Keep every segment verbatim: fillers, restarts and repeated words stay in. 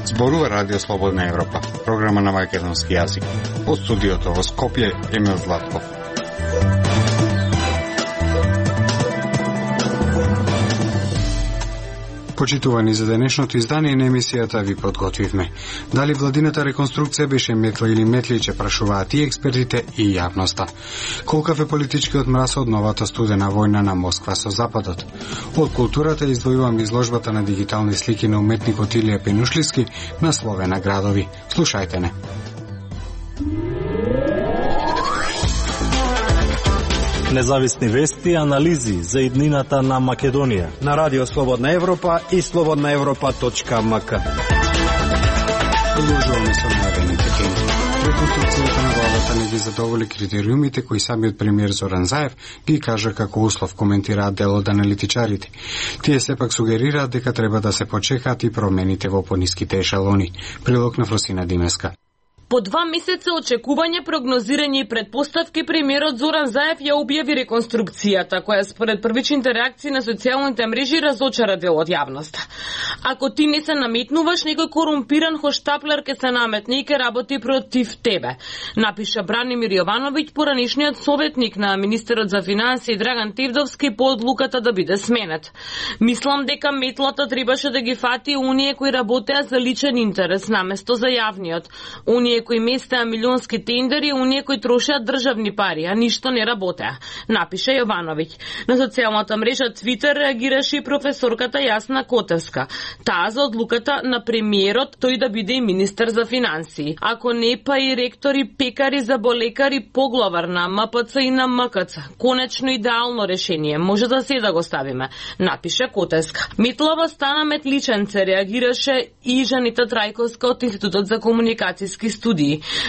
Зборува Радио Слободна Европа, програма на македонски јазик. Од студиото во Скопје, Емил Златков. Почитувани за денешното издание на емисијата ви подготвивме. Дали владината реконструкција беше метла или метличе, прашуваат и експертите и јавноста. Колкав е политичкиот мраз од новата студена војна на Москва со Западот? Од културата издвојувам изложбата на дигитални слики на уметникот Илија Пенушлиски на Словена градови. Слушајте не. Независни вести и анализи за иднината на Македонија на Радио Слободна Европа и слободна европа точка ем ка. Продолжуваме со најавените теми. Реконструкцијата на владата не ги задоволи критериумите кои самиот премиер Зоран Заев ги кажа како услов, коментираат дел од аналитичарите. Тие сепак сугерираат дека треба да се почекаат и промените во пониските ешелони. Прилог на Фросина Димеска. По два месеца очекување, прогнозирање и предпоставки, премиерот Зоран Заев ја објави реконструкцијата, која според првичните реакции на социјалните мрежи разочара дел од јавноста. Ако ти не се наметнуваш, некој корумпиран хоштаплер ке се наметне и ке работи против тебе, напиша Бранимир Јовановиќ, поранишниот советник на министерот за финансии Драган Тевдовски по одлуката да биде сменет. Мислам дека метлата требаше да ги фати оние кои работеа за личен интерес наместо за јавниот. Оние кои местеа милионски тендери, оние кои трошеа државни пари, а ништо не работеа, напиша Јовановиќ. На социјалната мрежа Твитер реагираше и професорката Јасна Котевска. Таа за одлуката на премиерот тој да биде и министер за финансии. Ако не, па и ректори, пекари, заболекари, поглавар на ем пе це и на ем ка це. Конечно идеално решение, може да се да го ставиме, напиша Котевска. Метлава стана метличенце, реагираше и Жанита Трајковска од Институтот за комуникацијски студии.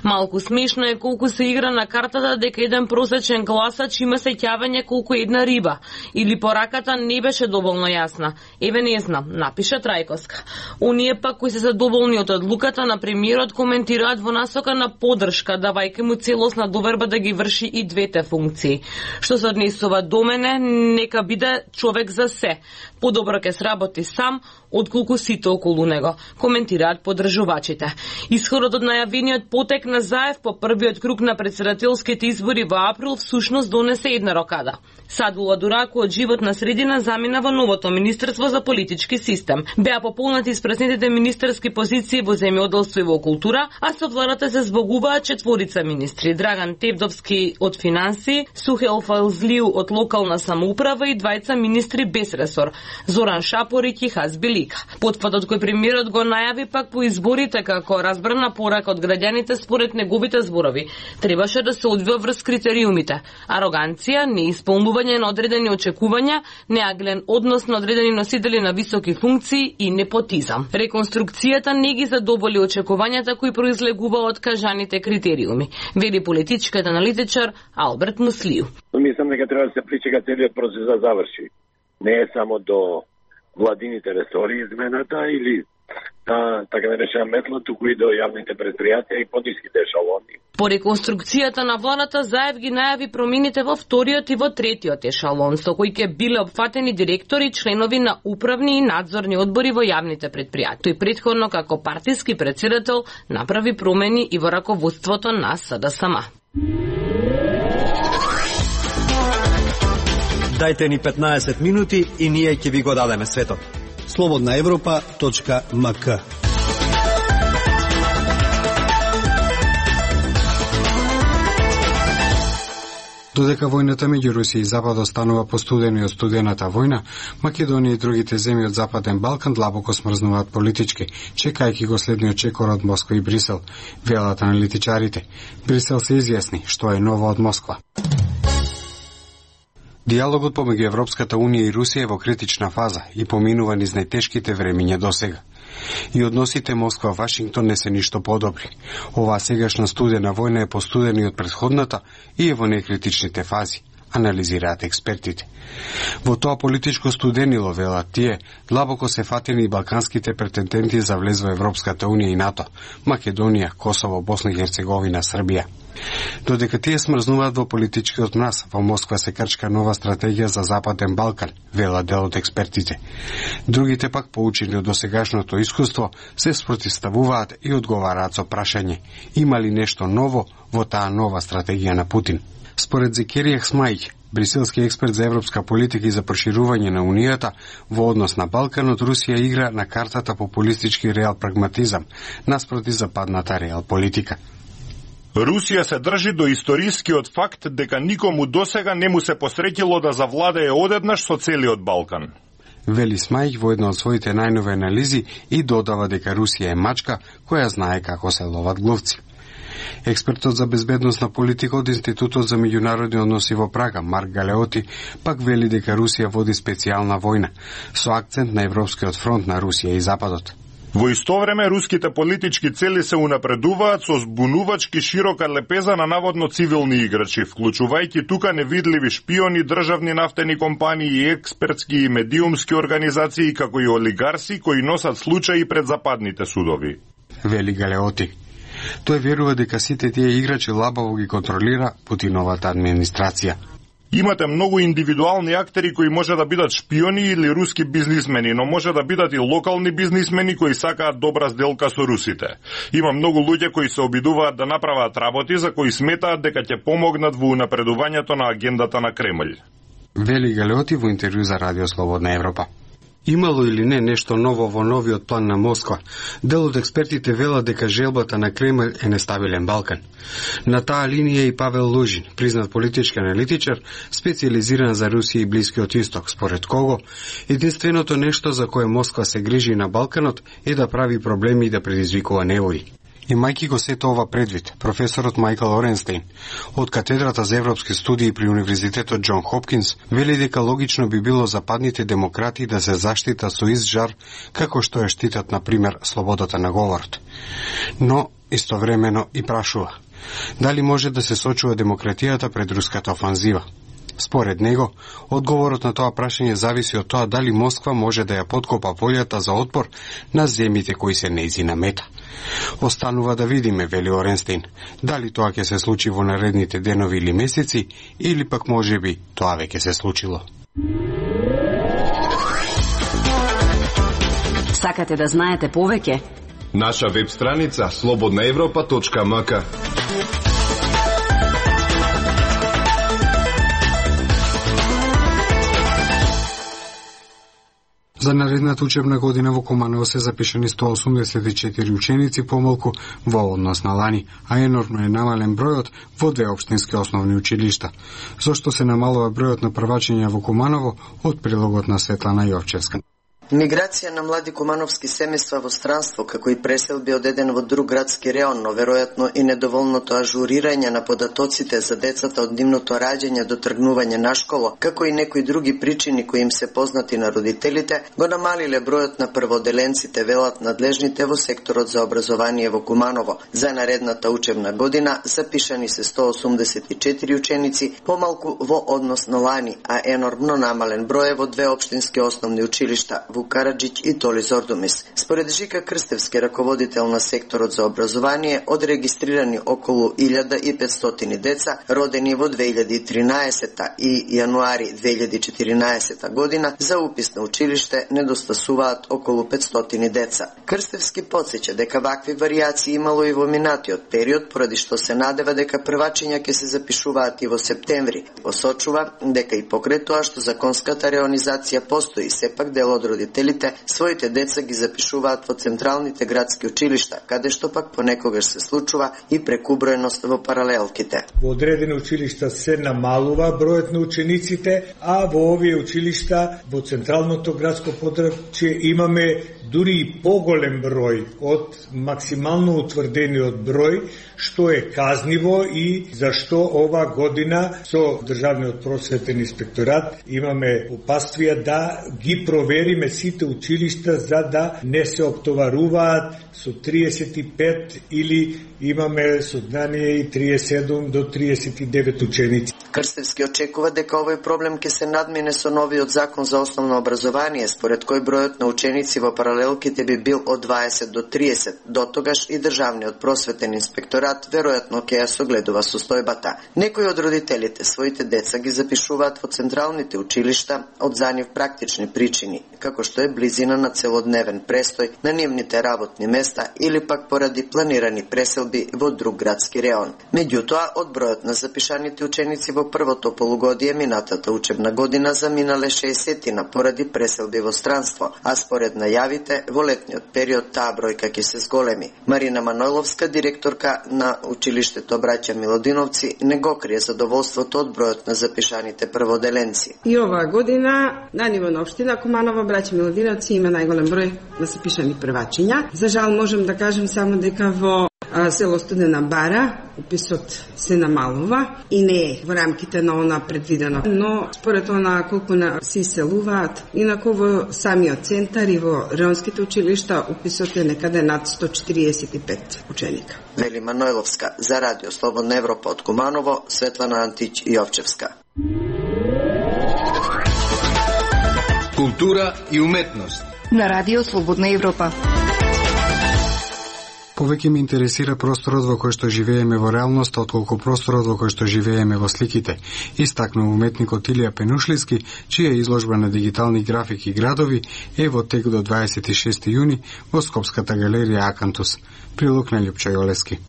Малку смешно е колку се игра на картата дека еден просечен гласач има сеќавање колку една риба, или пораката не беше доволно јасна. Еве не знам, напиша Трајковска. Оние пак кои се задоволни од одлуката на премиерот коментираат во насока на поддршка, давајќи му целосна доверба да ги врши и двете функции. Што се однесува до мене, нека биде човек за се. Подобро ке сработи сам, отколку сите околу него, коментираат поддржувачите. Исходот од најавениот потек на Заев по првиот круг на претседателските избори во април всушност донесе една рокада. Садула Дураку од животна средина замина во новото Министерство за политички систем. Беа пополнати испразнетите министерски позиции во земјоделство и во култура, а со владата се збогуваат четворица министри: Драган Тевдовски од финансии, Сухел Фалзлиу од локална самоуправа и двајца министри без ресор: Зоран Шапорик и Хазби Лика. Потпадот кој премиерот го најави пак по изборите како разбрана порака од граѓаните според неговите зборови требаше да се одвива врз критериумите: ароганција, неисполнување на одредени очекувања, неаглен однос на одредени носители на високи функции и непотизам. Реконструкцијата не ги задоволи очекувањата кои произлегува од кажаните критериуми, вели политичкиот аналитичар Алберт Муслију. Мислам дека треба да се причека целиот процес да заврши. Не е само до владините ресори измената или да, така да речем метла, туку и до јавните предпријатија и пониските ешалони. По реконструкцијата на владата Заев ги најави промените во вториот и во третиот ешалон, со кои ќе биле опфатени директори, членови на управни и надзорни одбори во јавните предпријатија. Тој претходно како партиски претседател направи промени и во раководството на С Д С М. Дајте ни петнаесет минути и ние ќе ви го дадеме светот. слободна европа точка ем ка. Додека војната меѓу Русија и Запад останува постудена и од студената војна, Македонија и другите земји од Западен Балкан длабоко смрзнуваат политички, чекајќи го следниот чекор од Москва и Брисел, велат аналитичарите. Брисел се изјасни што е ново од Москва. Диалогот помеѓу Европската Унија и Русија е во критична фаза и поминува низ најтешките времиња досега. И односите Москва-Вашингтон не се ништо подобри. Оваа сегашна студена војна е постудена и од претходната и е во некритичните фази. анализираат експертите. Во тоа политичко студенило, велат тие, длабоко се фатени и балканските претенденти за влез во Европската унија и НАТО, Македонија, Косово, Босна и Херцеговина, Србија. Додека тие смрзнуваат во политичкиот мраз, во Москва се крчка нова стратегија за Западен Балкан, вела дел од експертите. Другите пак, поучени од досегашното искуство, се спротивставуваат и одговараат со прашање: има ли нешто ново во таа нова стратегија на Путин? Според Зекерија Хсмајќ, бриселски експерт за европска политика и за проширување на Унијата, во однос на Балканот Русија игра на картата популистички реал прагматизам, наспроти западната реал политика. Русија се држи до историскиот факт дека никому досега не му се посреќило да завладее одеднаш со целиот Балкан. Вели Смајќ во една од своите најнови анализи и додава дека Русија е мачка која знае како се ловат глувци. Експертот за безбедносна политика од Институтот за меѓународни односи во Прага, Марк Галеоти, пак вели дека Русија води специјална војна, со акцент на Европскиот фронт на Русија и Западот. Во исто време, руските политички цели се унапредуваат со збунувачки широка лепеза на наводно цивилни играчи, вклучувајќи тука невидливи шпиони, државни нафтени компании, експертски и медиумски организации, како и олигарси кои носат случаи пред западните судови. Вели Галеоти. Тој верува дека сите тие играчи лабаво ги контролира Путиновата администрација. Имате многу индивидуални актери кои може да бидат шпиони или руски бизнисмени, но може да бидат и локални бизнисмени кои сакаат добра сделка со русите. Има многу луѓе кои се обидуваат да направат работи за кои сметаат дека ќе помогнат во унапредувањето на агендата на Кремљ. Вели Галеоти во интервју за Радио Слободна Европа. Имало или не нешто ново во новиот план на Москва? Дел од експертите велат дека желбата на Кремљ е нестабилен Балкан. На таа линија и Павел Лужин, признат политички аналитичар, специализиран за Русија и Блискиот Исток, според кого единственото нешто за кое Москва се грижи на Балканот е да прави проблеми и да предизвикува невои. Имајќи го сето ова предвид, професорот Мајкл Оренстейн од катедрата за европски студии при Универзитетот Џон Хопкинс вели дека логично би било западните демократи да се заштитат со ист жар како што ја штитат, на пример, слободата на говорот. Но истовремено и прашува: дали може да се сочува демократијата пред руската офанзива? Според него, одговорот на тоа прашање зависи од тоа дали Москва може да ја подкопа волјата за отпор на земјите кои се нејзина мета. Останува да видиме, вели Оренстейн, дали тоа ќе се случи во наредните денови или месеци, или пак можеби тоа веќе се случило. Сакате да знаете повеќе? Наша веб страница слободна европа точка ем ка. За наредната учебна година во Куманово се запишани сто осумдесет и четири ученици помалку во однос на лани, а енормно е намален бројот во две општински основни училишта. Зошто се намалува бројот на првачења во Куманово, од прилогот на Светлана Јовчевска. Миграција на млади кумановски семејства во странство, како и преселби од еден во друг градски реон, но веројатно и недоволното ажурирање на податоците за децата од нивното раѓање до тргнување на школа, како и некои други причини кои им се познати на родителите, го намалиле бројот на прводеленците, велат надлежните во секторот за образование во Куманово. За наредната учебна година запишани се сто осумдесет и четири ученици, помалку во однос на лани, а енормно намален број во две општински основни училишта, Вук Караџиќ и Толи Зордумис. Според Жика Крстевски, раководител на секторот за образование, од регистрирани околу илјада и петстотини деца, родени во две илјади и тринаесета и јануари две илјади и четиринаесета година, за упис на училиште недостасуваат околу петстотини деца. Крстевски потсеќа дека вакви варијации имало и во минатиот период, поради што се надева дека првачења ќе се запишуваат и во септември. Посочува дека и покрај тоа што законската реонизација постои, сепак дел од родителите своите деца ги запишуваат во централните градски училишта, каде што пак понекогаш се случува и прекубројност во паралелките. Во одредени училишта се намалува бројот на учениците, а во овие училишта во централното градско подрачје имаме дури и поголем број од максимално утврдениот број, што е казниво и зашто ова година со Државниот просветен инспекторат имаме упатствија да ги провериме сите училишта за да не се оптоваруваат со триесет и пет или имаме сознание и триесет и седум до триесет и девет ученици. Крстевски очекува дека овој проблем ќе се надмине со новиот закон за основно образование, според кој бројот на ученици во паралелките би бил од дваесет до триесет. До тогаш и државниот просветен инспекторат веројатно ќе ја согледува состојбата. Некои од родителите своите деца ги запишуваат во централните училишта од за нив практични причини, како што е близина на целодневен престој на нивните работни места или пак поради планирани преселби во друг градски реон. Меѓутоа, од бројот на запишаните ученици во првото полугодие минатата учебна година заминале шеесетина поради преселби во странство, а според најавите во летниот период таа бројка ќе се зголеми. Марина Манойловска, директорка на училиштето Браќа Милодиновци, не го крие задоволството од бројот на запишаните прводеленци. И оваа година на ниво на општина Куманово Браќа Милодиновци има најголем број на запишани првачиња. За жал можам да кажем само дека во а, село Студена Бара уписот се намалува и не е во рамките на она предвидено. Но според она колку на се иселуваат, инаку во самиот центар и во реонските училишта уписот е некаде над сто четириесет и пет ученика. Вели Манойловска за Радио Слободна Европа од Куманово, Светлана Антич Јовчевска. Култура и уметност на Радио Слободна Европа. Повеќе ме интересира просторот во кој што живееме во реалноста, отколку просторот во кој што живееме во сликите, истакнува уметникот Илија Пенушлиски, чија изложба на дигитални графики градови е во тек до дваесет и шести јуни во Скопската галерија Акантус. Прилог на Љупчо Јолески.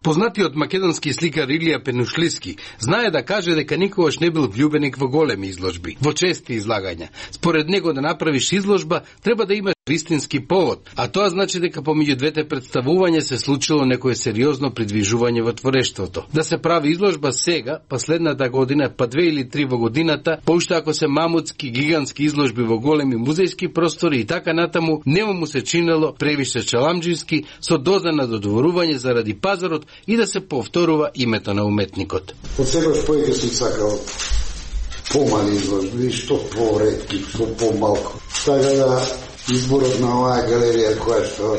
Познатиот македонски сликар Илија Пенушлиски знае да каже дека никогаш не бил влюбеник во големи изложби, во чести излагања. Според него да направиш изложба треба да имаш вистински повод, а тоа значи дека помеѓу двете представувања се случило некое сериозно придвижување во творештвото. Да се прави изложба сега, последната година, па две или три во годината, поуште ако се мамутски, гигантски изложби во големи музејски простори и така натаму, нема му се чинело превише чаламџиски, со доза на додворување заради пазарот и да се повторува името на уметникот. Од секојаш повеќе сум сакал помали изложби, што поретки, што помалку. Така да изборот на оваа галерија која што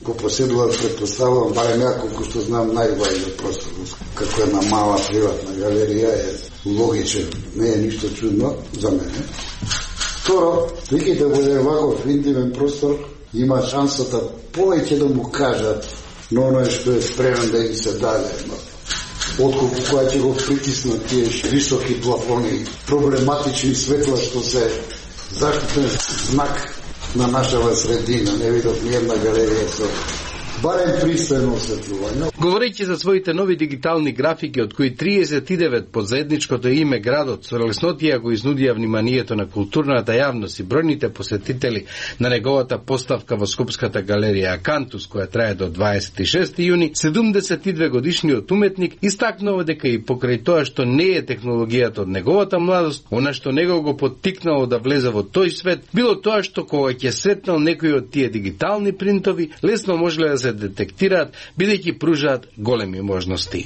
го поседува, предпоставувам, барем ја колку што знам, најважен простор, како една мала приватна галерија е логичен, не е ништо чудно за мене. Второ, веќе да буде ваков интимен простор, има шансата повеќе да му кажат но оној што е спремен да им се даде, отколку која ќе го притиснат тие високи плафони, проблематични светла што се заштитен знак на нашава средина. Не видов ни една галерија со барем пристојно осветлување. Говорејќи за своите нови дигитални графики, од кои триесет и девет под заедничкото име градот, со леснотија го изнудија вниманието на културната јавност и бројните посетители на неговата поставка во Скопската галерија Акантус, која трае до дваесет и шести јуни, седумдесет и две годишниот уметник истакнува дека и покрај тоа што не е технологијата од неговата младост, она што него го поттикнало да влезе во тој свет, било тоа што кога ќе сретнал некои од тие дигитални принтови, лесно можеле да се детектираат, бидејќи пружаат големи можности.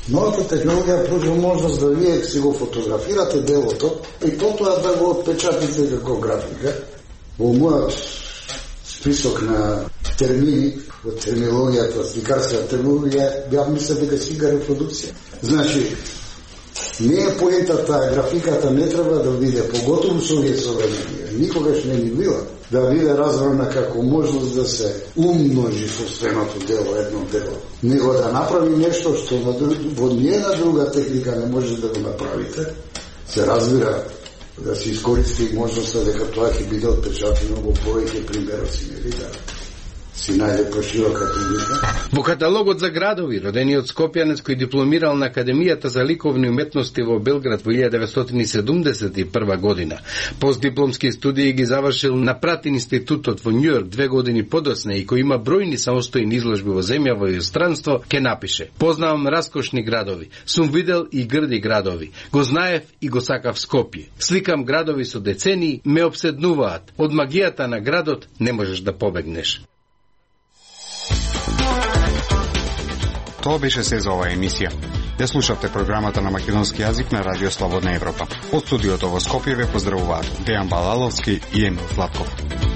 Новата технологија пружа можност да вие си го фотографирате делото и тоа да го отпечатите како графика. Во мојот список на термини, во терминологијата, сликарска терминологија, бях мислел дека слика репродукција. Значи, не е поентата, графиката не треба да биде, поготово со овие современи, никогаш не ни била, да биде разбрана како можност да се умножи собственото дело, едно дело. Него да направи нешто што во ниједна друга техника не може да го направите, се разбира да се искористи можноста дека тоа ќе биде отпечатено во повеќе примероци, нели да си најде поширока публика. Во каталогот за градови, родениот скопјанец кој дипломирал на Академијата за ликовни уметности во Белград во илјада деветстотини седумдесет и прва година, постдипломски студии ги завршил на Пратин институтот во Њујорк две години подоцна и кој има бројни самостојни изложби во земја во иностранство, ке напише: "Познавам раскошни градови, сум видел и грди градови, го знаев и го сакав Скопје. Сликам градови со децении, ме обседнуваат. Од магијата на градот не можеш да побегнеш." Тоа беше се за оваа емисија. Ја слушавте програмата на македонски јазик на Радио Слободна Европа. Од студиото во Скопје ве поздравуваат Дејан Балаловски и Емил Златков.